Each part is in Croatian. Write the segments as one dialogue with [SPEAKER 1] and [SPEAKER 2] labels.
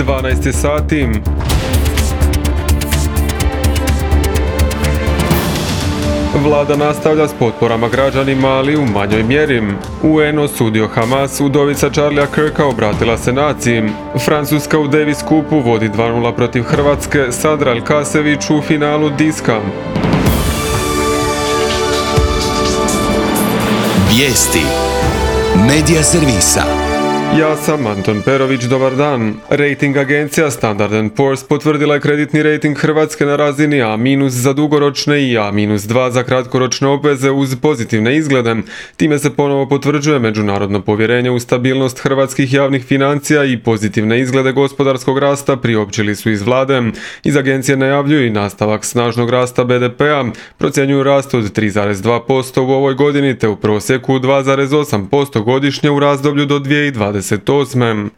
[SPEAKER 1] 12 sati. Vlada nastavlja s potporama građanima, ali u manjoj mjeri. UN osudio Hamas, udovica Charlie'a Kirka obratila se naciji. Francuska u Davis Cupu vodi 2:0 protiv Hrvatske, Sadra Elkasević u finalu diska.
[SPEAKER 2] Vijesti Medija servisa.
[SPEAKER 1] Ja sam Anton Perović, dobar dan. Rating agencija Standard & Poor's potvrdila je kreditni rating Hrvatske na razini A- za dugoročne i A-2 za kratkoročne obveze uz pozitivne izglede. Time se ponovo potvrđuje međunarodno povjerenje u stabilnost hrvatskih javnih financija i pozitivne izglede gospodarskog rasta priopćili su iz vlade. Iz agencije najavljuju i nastavak snažnog rasta BDP-a, procjenjuju rast od 3,2% u ovoj godini te u prosjeku 2,8% godišnje u razdoblju do 2028.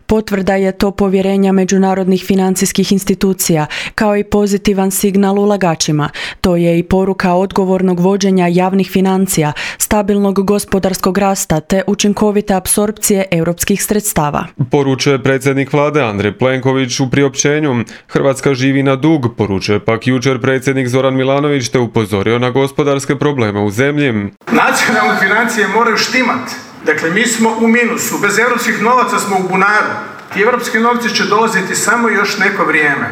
[SPEAKER 3] Potvrda je to povjerenja međunarodnih financijskih institucija, kao i pozitivan signal ulagačima. To je i poruka odgovornog vođenja javnih financija, stabilnog gospodarskog rasta te učinkovite apsorpcije europskih sredstava.
[SPEAKER 1] Poručuje predsjednik vlade Andrej Plenković u priopćenju. Hrvatska živi na dug, poručuje pak jučer predsjednik Zoran Milanović te upozorio na gospodarske probleme u zemlji.
[SPEAKER 4] Nacionalne financije moraju štimati. Dakle, mi smo u minusu, bez europskih novaca smo u bunaru. Ti europski novci će dolaziti samo još neko vrijeme.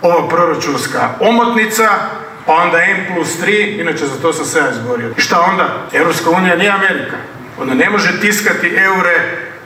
[SPEAKER 4] Ova proračunska omotnica, pa onda N+3, inače za to sam se ja izborio. I šta onda? Europska unija nije Amerika. Ona ne može tiskati eure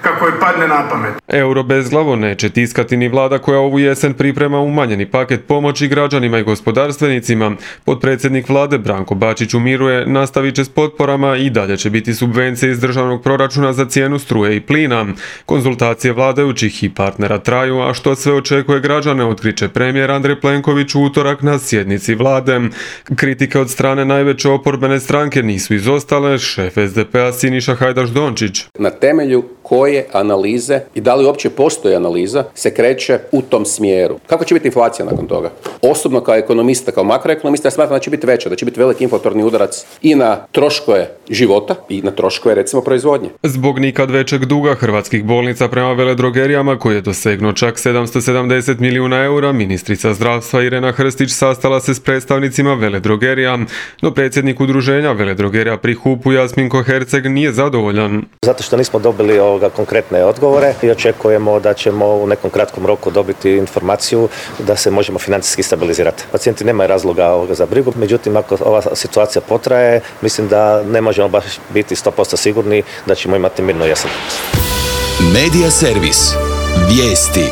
[SPEAKER 4] kako joj padne na pamet.
[SPEAKER 1] Euro bezglavo neće tiskati ni vlada koja ovu jesen priprema umanjeni paket pomoći građanima i gospodarstvenicima. Potpredsjednik vlade Branko Bačić umiruje, nastavit će s potporama i dalje će biti subvencije iz državnog proračuna za cijenu struje i plina. Konzultacije vladajućih i partnera traju, a što sve očekuje građane otkriće premijer Andrej Plenković u utorak na sjednici vlade. Kritike od strane najveće oporbene stranke nisu izostale, šef SDP-a Siniša Hajdaš Dončić.
[SPEAKER 5] Na temelju koje analize i da li uopće postoji analiza se kreće u tom smjeru. Kako će biti inflacija nakon toga? Osobno kao ekonomista, kao makroekonomista, ja smatram da će biti veća, da će biti veliki inflatorni udarac i na troškove života i na troškove recimo proizvodnje.
[SPEAKER 1] Zbog nikad većeg duga hrvatskih bolnica prema veledrogerijama koji je dosegnuo čak 770 milijuna eura, ministrica zdravstva Irena Hrstić sastala se s predstavnicima veledrogerija, no predsjednik udruženja veledrogerija pri HUP-u Jasminko Herceg nije zadovoljan.
[SPEAKER 6] Zato što nismo dobili konkretne odgovore i očekujemo da ćemo u nekom kratkom roku dobiti informaciju da se možemo financijski stabilizirati. Pacijenti nemaju razloga za brigu, međutim ako ova situacija potraje, mislim da ne možemo baš biti 100% sigurni da ćemo imati mirnu jesen.
[SPEAKER 2] Medija servis. Vijesti.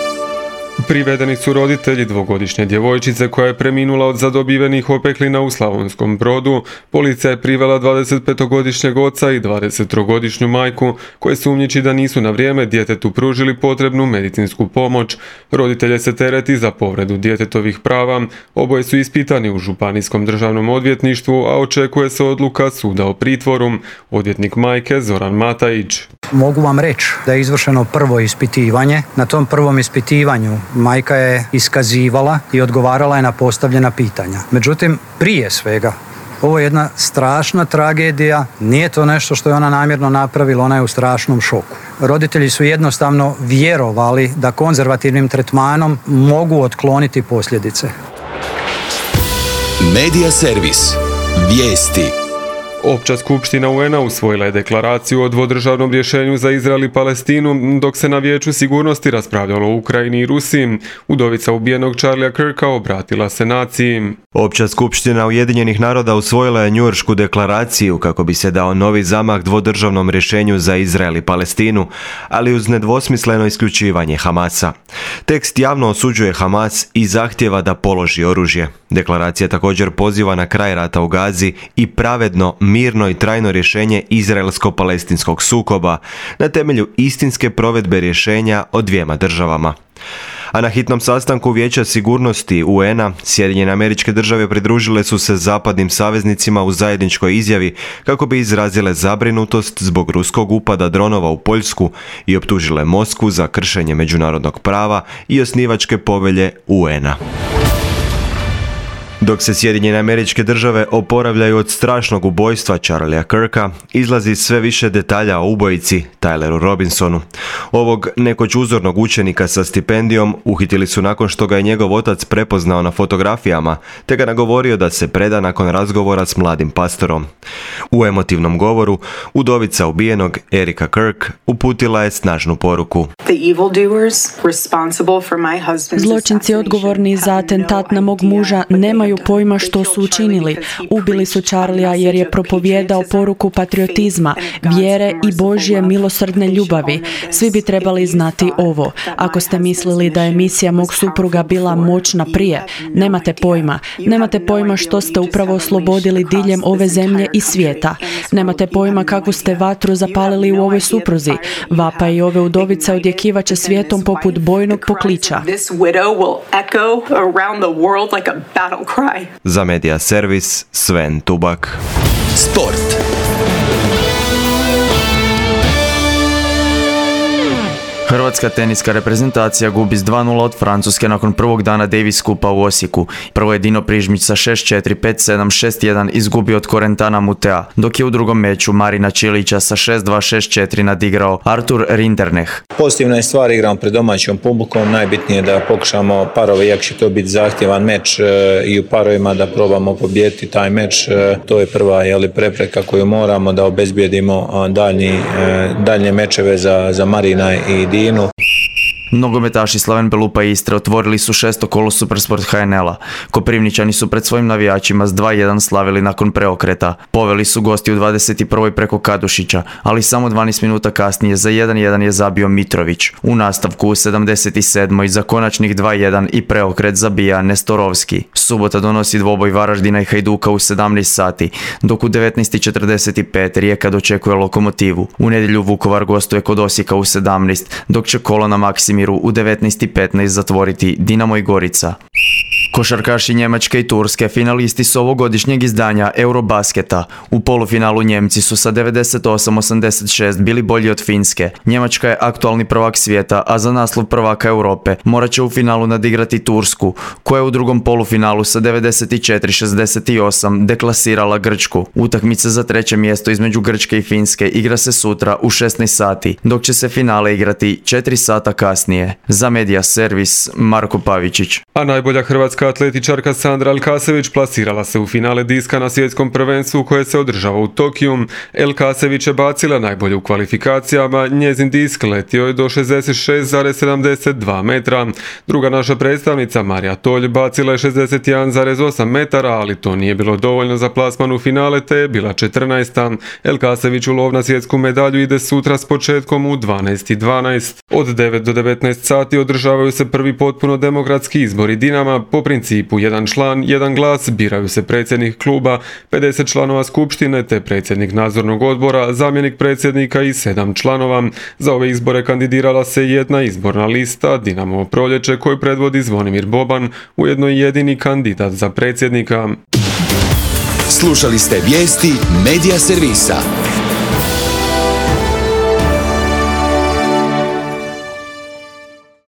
[SPEAKER 1] Privedeni su roditelji dvogodišnje djevojčice koja je preminula od zadobivenih opeklina u Slavonskom Brodu. Policija je privela 25-godišnjeg oca i 23-godišnju majku koje sumnjiči da nisu na vrijeme djetetu pružili potrebnu medicinsku pomoć. Roditelje se tereti za povredu djetetovih prava. Oboje su ispitani u Županijskom državnom odvjetništvu, a očekuje se odluka suda o pritvoru. Odvjetnik majke Zoran Matajić.
[SPEAKER 7] Mogu vam reći da je izvršeno prvo ispitivanje. Na tom prvom ispitivanju majka je iskazivala i odgovarala je na postavljena pitanja. Međutim, prije svega, ovo je jedna strašna tragedija, nije to nešto što je ona namjerno napravila, ona je u strašnom šoku. Roditelji su jednostavno vjerovali da konzervativnim tretmanom mogu otkloniti posljedice.
[SPEAKER 2] Medija servis. Vijesti.
[SPEAKER 1] Opća skupština UN-a usvojila je deklaraciju o dvodržavnom rješenju za Izrael i Palestinu, dok se na Vijeću sigurnosti raspravljalo o Ukrajini i Rusiji. Udovica ubijenog Charlie'a Kirka obratila se naciji.
[SPEAKER 8] Opća skupština Ujedinjenih naroda usvojila je Njujoršku deklaraciju kako bi se dao novi zamah dvodržavnom rješenju za Izrael i Palestinu, ali uz nedvosmisleno isključivanje Hamasa. Tekst javno osuđuje Hamas i zahtjeva da položi oružje. Deklaracija također poziva na kraj rata u Gazi i pravedno, mirno i trajno rješenje izraelsko-palestinskog sukoba na temelju istinske provedbe rješenja o dvijema državama. A na hitnom sastanku Vijeća sigurnosti UN-a Sjedinjene Američke Države pridružile su se zapadnim saveznicima u zajedničkoj izjavi kako bi izrazile zabrinutost zbog ruskog upada dronova u Poljsku i optužile Moskvu za kršenje međunarodnog prava i osnivačke povelje UN-a. Dok se Sjedinjene Američke Države oporavljaju od strašnog ubojstva Charliea Kirka, izlazi sve više detalja o ubojici Tyleru Robinsonu. Ovog nekoć uzornog učenika sa stipendijom uhitili su nakon što ga je njegov otac prepoznao na fotografijama, te ga nagovorio da se preda nakon razgovora s mladim pastorom. U emotivnom govoru, udovica ubijenog Erika Kirk uputila je snažnu poruku.
[SPEAKER 3] Zločinci odgovorni za atentat na mog muža nemaju pojma što su učinili. Ubili su Charliea jer je propovijedao poruku patriotizma, vjere i Božje milosrdne ljubavi. Svi bi trebali znati ovo. Ako ste mislili da je misija mog supruga bila moćna prije, nemate pojma. Nemate pojma što ste upravo oslobodili diljem ove zemlje i svijeta. Nemate pojma kakvu ste vatru zapalili u ovoj supruzi. Vapa i ove udovice odjekivaće svijetom poput bojnog pokliča.
[SPEAKER 8] Za Media Servis, Sven Tubak.
[SPEAKER 2] Sport.
[SPEAKER 9] Hrvatska teniska reprezentacija gubi s 2:0 od Francuske nakon prvog dana Davis Kupa u Osijeku. Prvo je Dino Prižmić sa 6-4, 5-7, 6-1 izgubio od Korentana Mutea, dok je u drugom meču Marina Čilića sa 6-2, 6-4 nadigrao Artur Rindernech.
[SPEAKER 10] Pozitivna je stvar, igramo pred domaćom publikom, najbitnije je da pokušamo parove, iako će to biti zahtjevan meč i u parovima da probamo pobijediti taj meč. To je prva prepreka koju moramo da obezbijedimo daljnje mečeve za Marina i Dinu.
[SPEAKER 9] Nogometaši Slaven Belupa i Istre otvorili su 6. kolo Supersport HNL-a. Koprivničani su pred svojim navijačima s 2:1 slavili nakon preokreta. Poveli su gosti u 21. preko Kadušića, ali samo 12 minuta kasnije za 1:1 je zabio Mitrović. U nastavku u 77. za konačnih 2:1 i preokret zabija Nestorovski. Subota donosi dvoboj Varaždina i Hajduka u 17 sati, dok u 19:45 Rijeka dočekuje Lokomotivu. U nedjelju Vukovar gostuje kod Osijeka u 17, dok će kolo na Maksimiru u 19:15 zatvoriti Dinamo i Gorica. Košarkaši Njemačke i Turske finalisti su ovogodišnjeg izdanja Eurobasketa. U polufinalu Njemci su sa 98-86 bili bolji od Finske. Njemačka je aktualni prvak svijeta, a za naslov prvaka Europe morat će u finalu nadigrati Tursku, koja je u drugom polufinalu sa 94-68 deklasirala Grčku. Utakmica za treće mjesto između Grčke i Finske igra se sutra u 16 sati, dok će se finale igrati 4 sata kasnije. Za Media Servis, Marko Pavičić.
[SPEAKER 1] A najbolja hrvatska atletičarka Sandra Elkasević plasirala se u finale diska na svjetskom prvenstvu koje se održava u Tokiju. Elkasević je bacila najbolje u kvalifikacijama, njezin disk letio je do 66,72 metra. Druga naša predstavnica Marija Tolj bacila je 61,8 metara, ali to nije bilo dovoljno za plasman u finale, te je bila 14. Elkasević u lov na svjetsku medalju ide sutra s početkom u 12:12. Od 9 do 19 sati održavaju se prvi potpuno demokratski izbori Dinama. Po principu jedan član, jedan glas biraju se predsjednik kluba, 50 članova skupštine te predsjednik nadzornog odbora, zamjenik predsjednika i 7 članova. Za ove izbore kandidirala se jedna izborna lista Dinamo Proljeće koju predvodi Zvonimir Boban, ujedno i jedini kandidat za predsjednika.
[SPEAKER 2] Slušali ste vijesti Media Servisa.